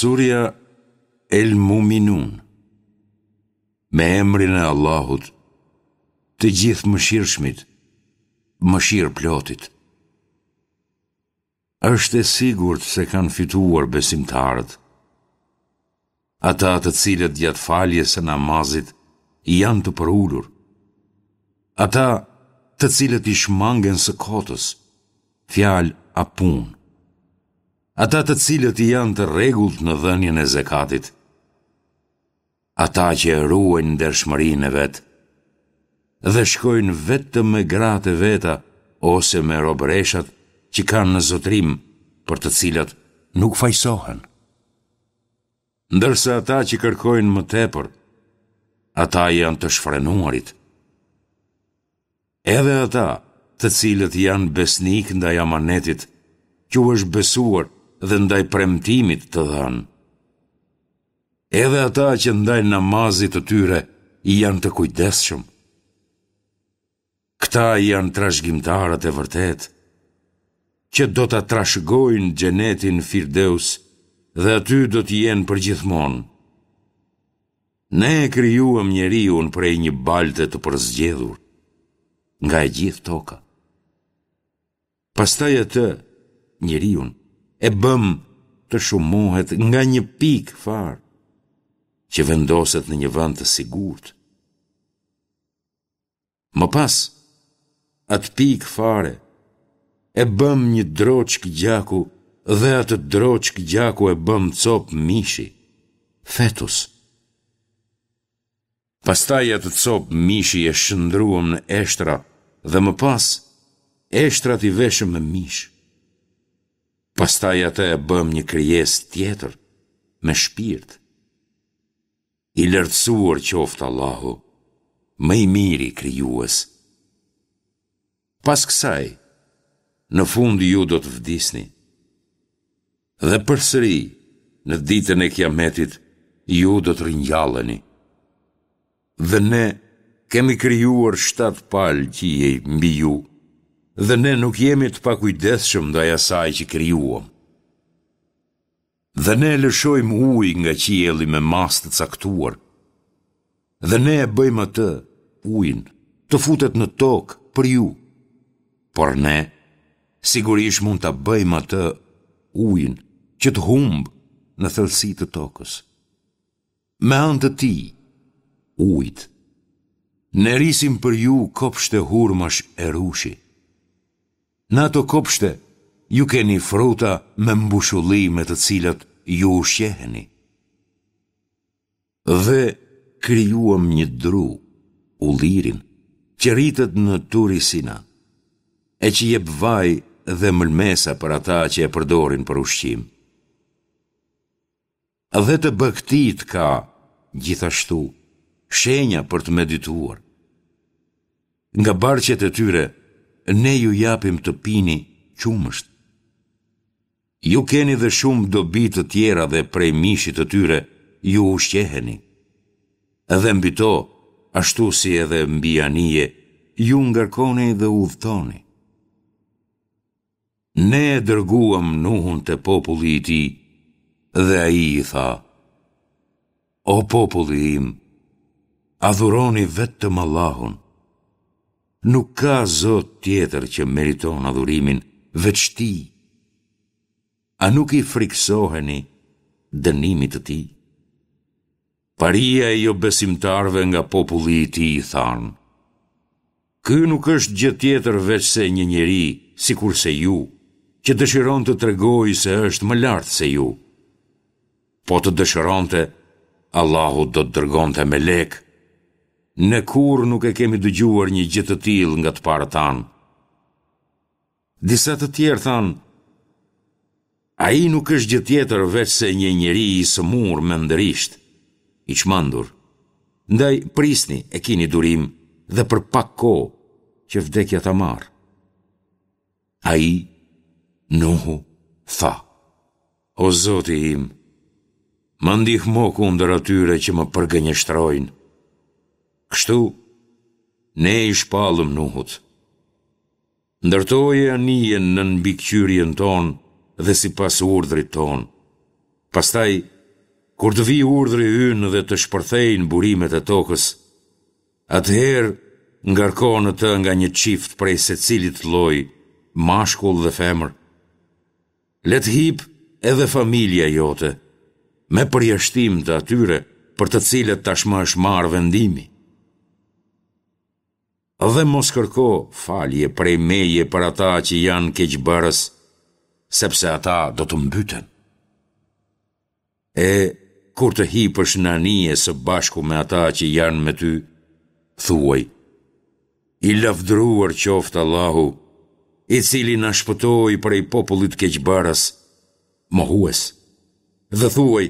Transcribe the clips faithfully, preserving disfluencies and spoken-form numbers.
Surja El Muminun. Me emrin e Allahut, të Gjithëmëshirshmit, mëshirëplotit. Është e sigurt se kanë fituar besimtarët. Ata të cilët gjatë faljes së namazit janë të përulur. Ata të cilët i shmangen së kotës, fjalë a punë. Ata të cilët janë të rregullt në dhënien e zekatit. Ata që e ruajnë ndershmërinë e vet dhe shkojnë vetëm me gratë e veta ose me robëreshat që kanë në zotërim për të cilat nuk fajësohen. Ndërsa ata që kërkojnë më tepër, ata janë të shfrenuarit. Edhe ata, të cilët janë besnikë ndaj amanetit, që u është besuar dhe ndaj premtimit të dhënë. Edhe ata që ndaj namazit të tyre janë të kujdesshëm. Këta janë trashëgimtarët e vërtetë, që do ta trashëgojnë xhenetin Firdeus dhe aty do të jenë përgjithmonë. Ne e krijuam njeriun prej një balte të përzgjedhur nga e gjithë toka. Pastaj atë, njeriun, e bëmë të shumohet nga një pikë farë, që vendoset në një vend të sigurt. Më pas, atë pikë fare, e bëmë një droçkë gjaku dhe atë droçkë gjaku e bëmë copë mishi, fetus. Pastaj atë copë mishi e shndërruam në eshtra dhe më pas, eshtrat i veshëm me mish. Pastaj atë e bëmë një krijesë tjetër, me shpirt. I lartësuar qoftë Allahu, më i miri krijues. Pas kësaj, në fund ju do të vdisni. Dhe përsëri, në ditën e Kiametit, ju do të ringjalleni. Dhe ne kemi krijuar shtatë palë qiej mbi ju, dhe ne nuk jemi të pakujdesshëm ndaj asaj që krijuam. Dhe ne lëshojmë ujë nga qielli me masë të caktuar. Dhe ne e bëjmë atë, ujin, të futet në tokë për ju. Por ne, sigurisht mund ta bëjmë atë, ujin, që të humbë në thellësi të tokës. Me anë të tij, ujit, ne rrisim për ju kopshte hurmash e rrushi. Në ato kopshte ju keni fruta me mbushulli me të cilat ju ushqeheni. Dhe krijuam një dru, ullirin, që rritet në Turi Sina, e që jep vaj dhe mëlmesa për ata që e përdorin për ushqim. Dhe te bagëtitë ka, gjithashtu, shenja për të medituar. Nga barqet e tyre, ne ju japim të pini qumësht. Ju keni dhe shumë dobi të tjera dhe prej mishit të tyre ju ushqeheni. Dhe mbi to, ashtu si edhe mbi anije, ju ngarkoni dhe udhëtoni. Ne e dërguam Nuhun te populli i tij dhe ai i tha, O populli im, adhuroni vetëm Allahun. Nuk ka Zot tjetër që meriton adhurimin veç Tij. A nuk i frikësoheni dënimit të Tij? Paria e jobesimtarëve nga populli i tij thanë, Ky nuk është gjë tjetër veçse një njeri sikurse ju, që dëshiron të tregojë se është më lart se ju. Po të dëshironte, Allahu do të dërgonte melekë. Ne kurrë nuk e kemi dëgjuar një gjë të tillë nga të parët tanë. Disa të tjerë thanë, Ai nuk është gjë tjetër veçse një njeri i sëmurë mendërisht, i çmendur. Ndaj prisni e kini durim dhe për pak kohë që vdekja ta marrë. Ai, Nuhu, tha, O Zoti im, më ndihmo kundër atyre që më përgënjeshtrojnë. Kështu, ne i shpallëm Nuhut. Ndërtoje anijen nën mbikëqyrjen tonë dhe sipas urdhrit tonë. Pastaj Kur të vijë urdhri ynë dhe të shpërthejnë burimet e tokës, atëherë ngarko në të nga një çift prej secilit lloj, mashkull dhe femër. Le të hipë edhe familja jote, me përjashtim të atyre për të cilët tashmë është marrë vendimi. Dhe mos kërko falje prej meje për ata që janë keqbërës, sepse ata do të mbyten. E, kur të hipësh në anije së bashku me ata që janë me ty, thuaj, I lavdëruar qoftë Allahu, i cili na shpëtoi prej popullit keqbërës, mohues. Dhe thuaj,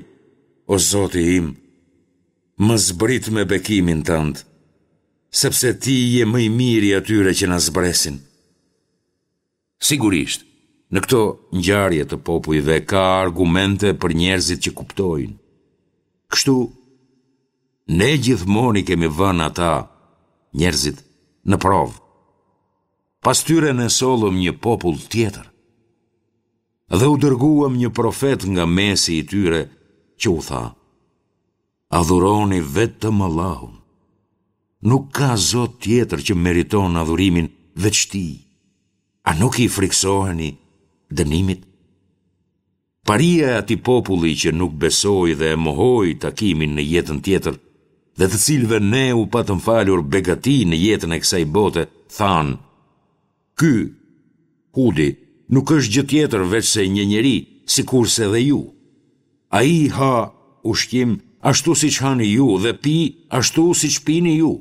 o Zoti im, më zbrit me bekimin tënd, sepse ti je më i miri i atyre që na zbresin. Sigurisht, në këto ngjarje të popujve ka argumente për njerëzit që kuptojnë. Kështu, ne gjithmonë i kemi vënë ata, njerëzit, në provë. Pas tyre ne sollëm një popull tjetër. Dhe u dërguam një profet nga mesi i tyre që u tha: Adhuroni vetëm Allahun. Nuk ka zot tjetër që meriton adhurimin veç Tij. A nuk i frikësoheni dënimit? Paria e atij populli që nuk besoi dhe e mohoi takimin në jetën tjetër dhe të cilëve ne u patëm falur begati në jetën e kësaj bote, thanë: Ky, Hudi, nuk është gjë tjetër veçse një njeri, sikurse dhe ju. Ai ha ushqim ashtu siç hani ju dhe pi ashtu siç pini ju.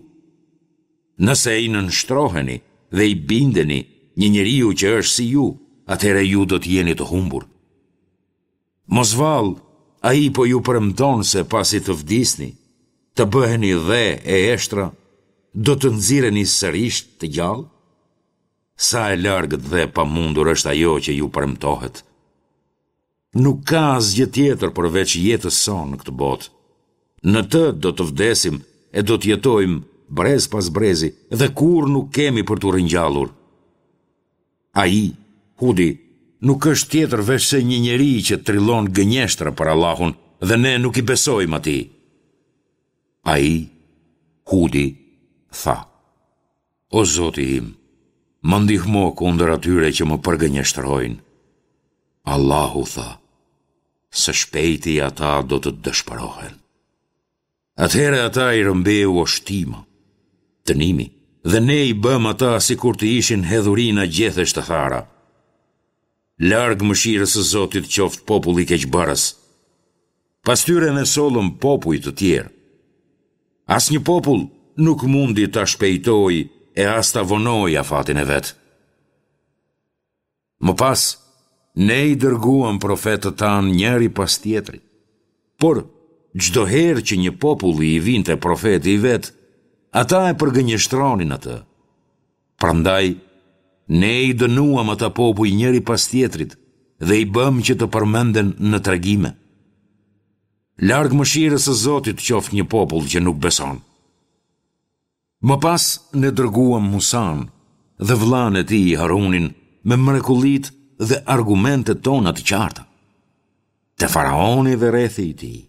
Nëse i nënshtroheni dhe i bindeni një njeriu që është si ju, atëherë ju do të jeni të humbur. Mos vallë, ai po ju premton se pasi të vdisni, të bëheni dhe e eshtra, do të nxirreni sërish të gjallë? Sa e largët dhe e pamundur është ajo që ju premtohet. Nuk ka asgjë tjetër përveç jetës sonë në këtë botë. Në të do të vdesim e do të jetojmë brez pas brezi dhe kurrë nuk kemi për t'u ringjallur. Ai, Hudi, nuk është tjetër veçse një njeri që trillon gënjeshtra për Allahun dhe ne nuk i besojmë atij. Ai, Hudi, tha: O Zoti im, më ndihmo kundër atyre që më përgënjeshtrojnë. Allahu tha: Së shpejti ata do të dëshpërohen. Atëherë ata i rrëmbeu oshtima, dënimi, dhe ne i bëmë ata sikur të ishin hedhurina gjethesh të thara. Larg mëshirës së Zotit qoftë populli keqbërës. Pas tyre ne sollëm popuj të tjerë. Asnjë popull nuk mundi ta shpejtojë e as ta vonojë afatin e vet. Më pas, ne i dërguam profetët tanë njëri pas tjetrit. Por, çdo herë që një populli i vinte profeti i vet, ata e përgënjeshtronin atë. Prandaj, ne i dënuam ata popuj njëri pas tjetrit dhe i bëmë që të përmenden në tregime. Larg mëshirës së Zotit qoftë një popull që nuk beson. Më pas ne dërguam Musanë dhe vëllanë e tij Harunin me mrekullitë dhe argumentet tona të qarta, te faraoni dhe rrethi i tij.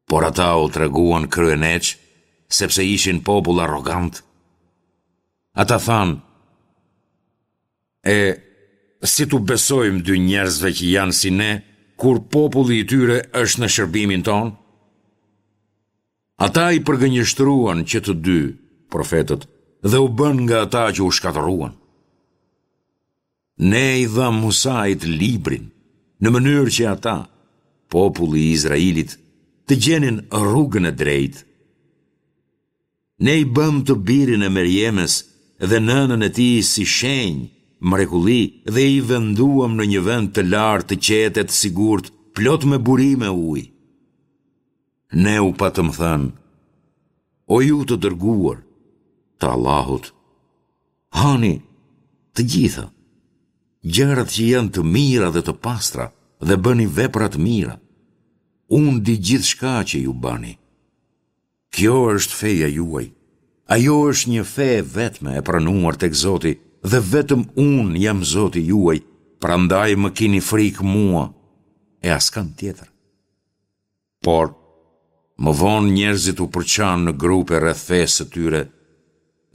Por ata u treguan kryeneçë, sepse ishin popull arrogant. Ata thanë, e si t'u besojmë dy njerëzve që janë si ne, kur populli i tyre është në shërbimin tonë? Ata i përgënjeshtruan që të dy, profetët, dhe u bënë nga ata që u shkatërruan. Ne i dhamë Musait librin, në mënyrë që ata, populli i Izraelit, të gjenin rrugën e drejtë. Ne i bëmë të birin e Merjemes dhe nënën e tij si shenjë, mrekulli dhe i venduam në një vend të lartë të qetë e të sigurt, plot me burime uji. Ne u patëm thënë, o ju të dërguar të Allahut, hani të gjitha, gjërat që janë të mira dhe të pastra dhe bëni vepra të mira. Unë di gjithçka që ju bëni. Kjo është feja juaj. Ajo është një fe e vetme e pranuar tek Zoti dhe vetëm unë jam Zoti juaj, prandaj më kini frikë mua e askënd tjetër. Por, më vonë njerëzit u përçanë në grupe rreth fesë së tyre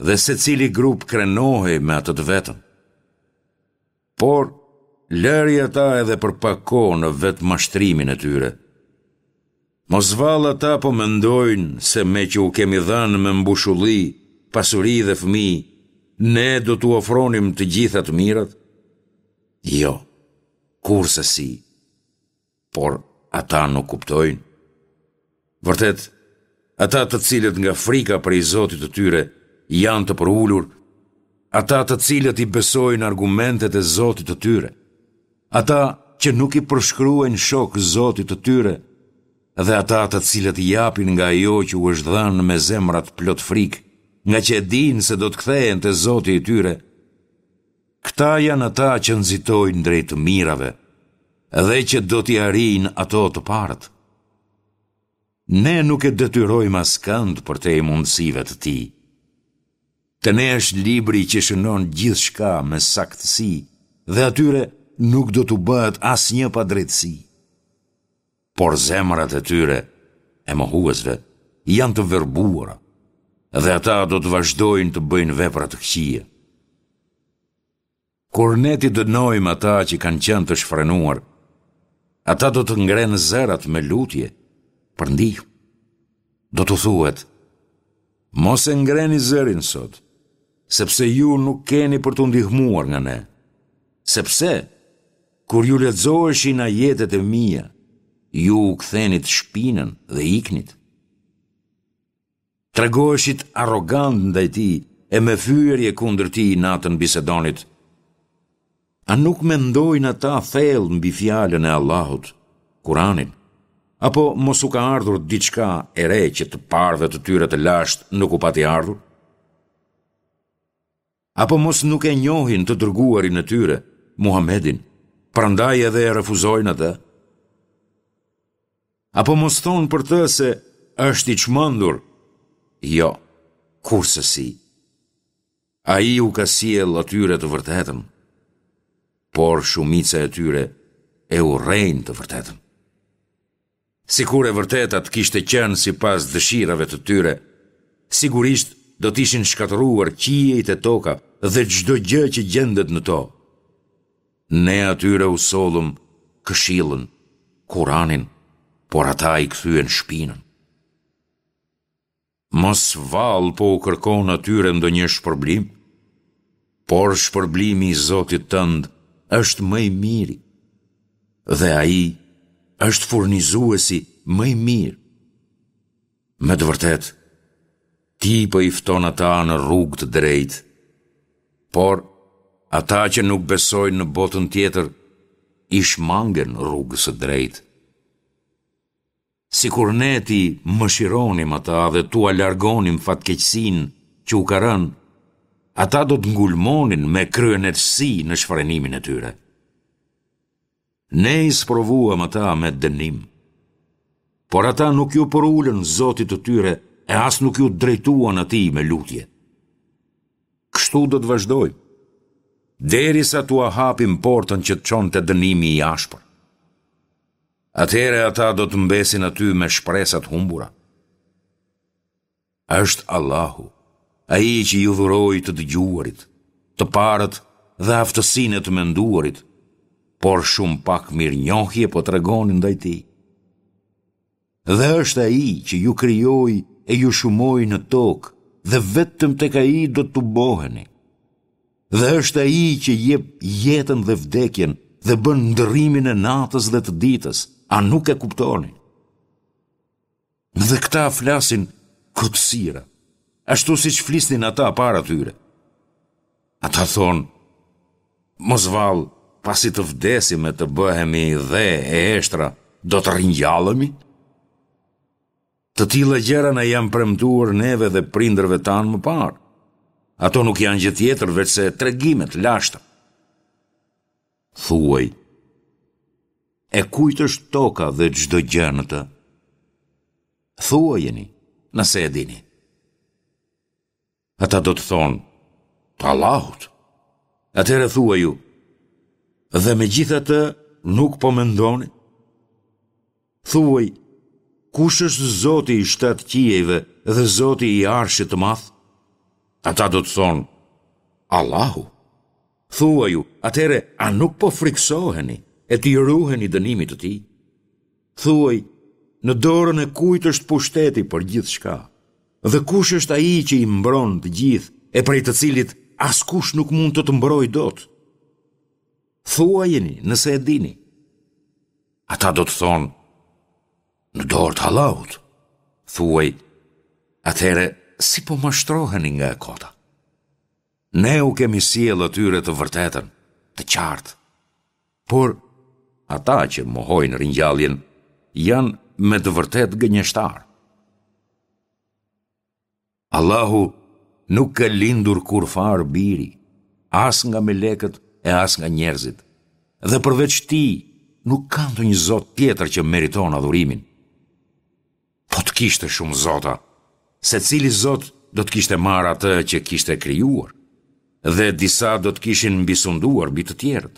dhe secili grup krenohej me atë të vetën. Por, lëri ata edhe për pak kohë në vetëmashtrimin e tyre. Mos vallë ata po mendojnë se meqë u kemi dhënë me mbushulli, pasuri dhe fëmijë, ne do t'u ofronim të gjitha të mirat? Jo, kurrsesi. Por ata nuk kuptojnë. Vërtet, ata të cilët nga frika prej Zotit të tyre janë të përulur, ata të cilët i besojnë argumentet e Zotit të tyre, ata që nuk i përshkruajnë shok Zotit të tyre, dhe ata të cilët japin nga ajo që u është dhënë me zemrat plot frikë, ngaqë e dinë se do të kthehen te Zoti i tyre, këta janë ata që nxitojnë drejt të mirave dhe që do t'i arrijnë ato të parët. Ne nuk e detyrojmë askënd përtej mundësive të tij. Te ne është libri që shënon gjithçka me saktësi dhe atyre nuk do t'u bëhet asnjë padrejtësi. Por zemrat e tyre, e mohuesve, janë të verbuara dhe ata do të vazhdojnë të bëjnë vepra të këqija. Kur ne t'i dënojmë ata që kanë qenë të shfrenuar, ata do të ngrenë zërat me lutje për ndihmë. Do t'u thuhet, mos e ngreni zërin sot, sepse ju nuk keni për t'u ndihmuar nga ne. Sepse, kur ju lexoheshin ajetet e mia, ju u kthenit shpinën dhe iknit. Tregoheshit arrogantë ndaj tij e me fyerje kundër tij natën bisedonit. A nuk mendojnë ata thellë mbi fjalën e Allahut, Kuranin? Apo mos u ka ardhur diçka e re që të parëve të tyre të lashtë nuk u pati ardhur? Apo mos nuk e njohin të dërguarin e tyre, Muhammedin, prandaj edhe e refuzojnë atë? Apo mos thonë për të se është i çmendur? Jo, kurrsesi. Ai u ka sjellë atyre të vërtetën, por shumica e tyre e urrejnë të vërtetën. Sikur e vërteta të kishte qenë sipas dëshirave të tyre, sigurisht do të ishin shkatërruar qiejt e toka dhe çdo gjë që gjendet në to. Ne atyre u sollëm këshillën, Kuranin, por ata i kthyen shpinën. Mos vallë po u kërkon atyre ndonjë shpërblim? Por shpërblimi i Zotit tënd është më i miri dhe ai është furnizuesi më i mirë. Me të vërtetë, ti po i fton ata në rrugë të drejtë, por ata që nuk besojnë në botën tjetër i shmangen rrugës së drejtë. Sikur ne t'i mëshironim ata dhe t'ua largonim fatkeqësinë që u ka rënë, ata do të ngulmonin me kryeneçësi në shfrenimin e tyre. Ne i sprovuam ata me dënim, por ata nuk iu përulën Zotit të tyre e as nuk iu drejtuan atij me lutje. Kështu do të vazhdojmë, derisa t'ua hapim portën që të çon te dënimi i ashpër. Atëherë ata do të mbesin aty me shpresa të humbura. Është Allahu, ai që ju dhuroi të dëgjuarit, të parët dhe aftësinë e të menduarit, por shumë pak mirënjohje po tregoni ndaj tij. Dhe është ai që ju krijoi e ju shumoi në tokë dhe vetëm tek ai do të tuboheni. Dhe është ai që jep jetën dhe vdekjen dhe bën ndërrimin e natës dhe të ditës, a nuk e kuptoni? Dhe këta flasin kotësira, ashtu siç flisnin ata para tyre. Ata thonë, mos vallë, pasi të vdesim e të bëhemi dhe e eshtra, do të ringjallemi? Të tilla gjëra na janë premtuar neve dhe prindërve tanë më parë. Ato nuk janë gjë tjetër veçse tregime të lashta. Thuaj, e kujt është toka dhe çdo gjë në të? Thuajeni, nëse e dini. Ata do të thonë, të Allahut. Atëherë thuaju, dhe megjithatë nuk po mendoni? Thuaj, Kush është Zoti i shtatë qiejve dhe Zoti i Arshit të Madh? Ata do të thonë, Allahu. Thuaju, atëherë a nuk po frikësoheni e t'i ruheni dënimit të tij? Thuaj, në dorën e kujt është pushteti për gjithçka? Dhe kush është ai që i mbron të gjithë e prej të cilit askush nuk mund të të mbrojë dot? Thuajeni nëse e dini. Ata do të thonë, në dorë të Allahut. Thuaj, atëherë si po mashtroheni nga e kota? Ne u kemi sjellë atyre të vërtetën, të qartë. Por, ata që mohojnë ringjalljen, janë me të vërtetë gënjeshtarë. Allahu nuk ka lindur kurrfarë biri, as nga melekët e as nga njerëzit, dhe përveç tij nuk ka ndonjë zot tjetër që meriton adhurimin. Po të kishte shumë zota, secili zot do të kishte marrë atë që kishte krijuar, dhe disa do të kishin mbisunduar mbi të tjerët.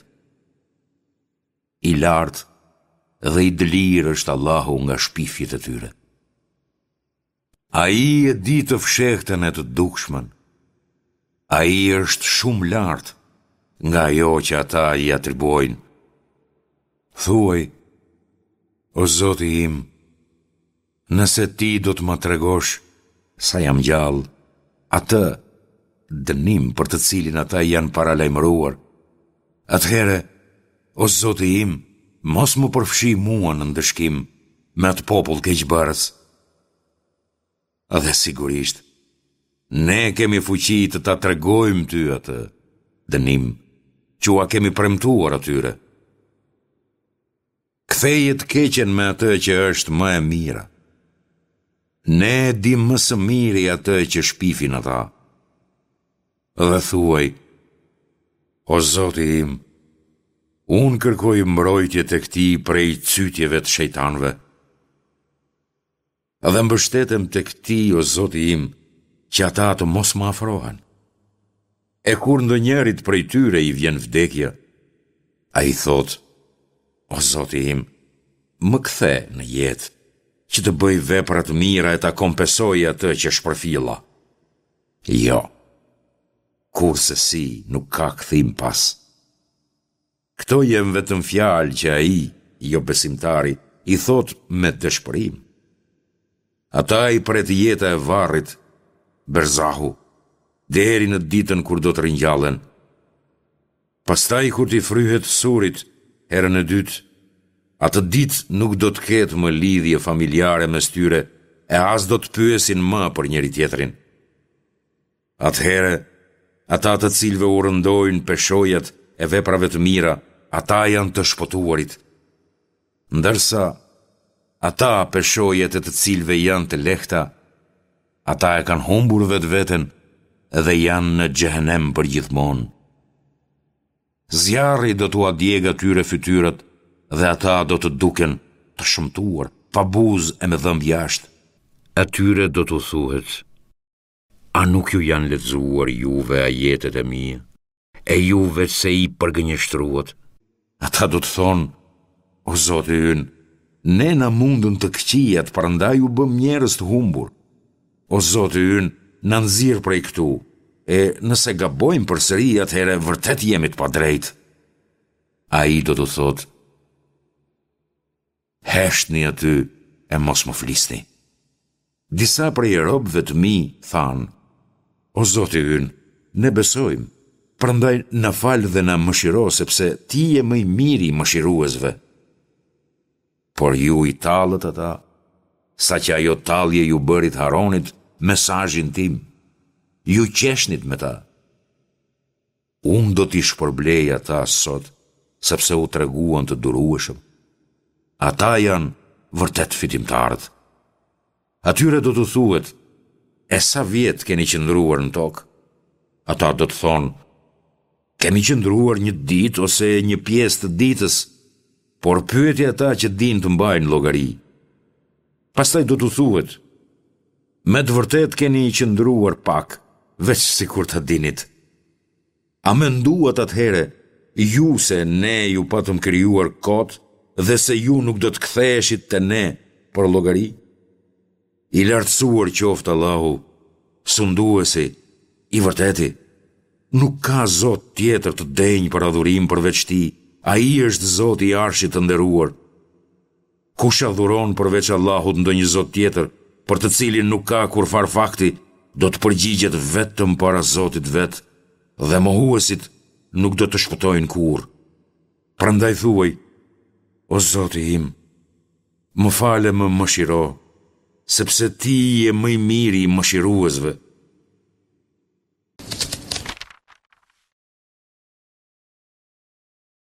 I lartë dhe i dëlirë është Allahu nga shpifjet e tyre. Ai e di të fshehtën e të dukshmen. Ai është shumë lart nga ajo që ata i atribuojnë. Thuaj, o Zoti im, nëse ti do të më tregosh sa jam gjallë, atë dënim për të cilin ata janë paralajmëruar, atëherë, o Zoti im, mos më përfshi mua në ndëshkim me atë popull keqbërës. Dhe sigurisht, ne kemi fuqi të ta tregojmë ty atë dënim që ua kemi premtuar atyre. Ktheje të keqen me atë që është më e mira. Ne e dimë më së miri atë që shpifin ata. Dhe thuaj, o Zoti im, unë kërkoj mbrojtje tek ti prej cytjeve të shejtanëve. Dhe mbështetem tek ti, o Zoti im, që ata të mos më afrohen. E kur ndonjërit prej tyre i vjen vdekja, ai thotë, o Zoti im, më kthe në jetë, që të bëj vepra të mira e ta kompensoj atë që shpërfilla. Jo, kurrsesi nuk ka kthim pas. Këto janë vetëm fjalë që ai, jobesimtari, i thotë me dëshpërim. Ata i pret jeta e varrit, berzahu, deri në ditën kur do të ringjallen. Pastaj kur t'i fryhet surit, herën e dytë, atë ditë nuk do të ketë më lidhje familjare mes tyre e as do të pyesin më për njëri-tjetrin. Atëherë, ata të cilëve u rëndojnë peshojat e veprave të mira, ata janë të shpëtuarit. Ndërsa, ata peshojat e të cilëve janë të lehta, ata e kanë humbur vetveten dhe janë në xhehenem përgjithmonë. Zjarri do t'ua djegë atyre fytyrat dhe ata do të duken të shëmtuar, pa buzë e me dhëmbë jashtë. Atyre do t'u thuhet, a nuk ju janë lexuar juve ajetet e mia, e ju veçse i përgënjeshtruat? Ata do të thonë, o Zoti ynë, ne na mundën të këqijat, prandaj u bëmë njerëz të humbur. O Zoti ynë, na nxirr prej këtu, e nëse gabojmë përsëri, atëherë vërtet jemi të padrejtë. Ai do t'u thotë, heshtni aty e mos më flisni. Disa prej robëve të mi thanë, o Zoti ynë, ne besojmë, prandaj na fal dhe na mëshiro sepse ti je më i miri i mëshiruesve. Por ju i tallët ata, saqë ajo tallje ju bëri të harronit mesazhin tim, ju qeshnit me ta. Unë do t'i shpërblej ata sot, sepse u treguan të durueshëm. Ata janë vërtet fitimtarët. Atyre do t'u thuhet, e sa vjet keni qëndruar në tokë? Ata do të thonë, kemi qëndruar një ditë ose një pjesë të ditës, por pyeti ata që dinë të mbajnë llogari. Pastaj do t'u thuhet, me të vërtetë keni qëndruar pak, veç sikur ta dinit. A menduat atëherë ju se ne ju patëm krijuar kot dhe se ju nuk do të ktheheshit te ne për llogari? I lartësuar qoftë Allahu, Sunduesi, i Vërteti! Nuk ka zot tjetër të denjë për adhurim përveç Tij, Ai është Zoti i Arshit të nderuar. Kush adhuron përveç Allahut ndonjë zot tjetër, për të cilin nuk ka kurrfarë fakti, do të përgjigjet vetëm para Zotit të vet, dhe mohuesit nuk do të shpëtojnë kurrë. Prandaj thuaj, O Zoti im, më fal e më mëshiro, sepse Ti je më i miri i mëshiruesve.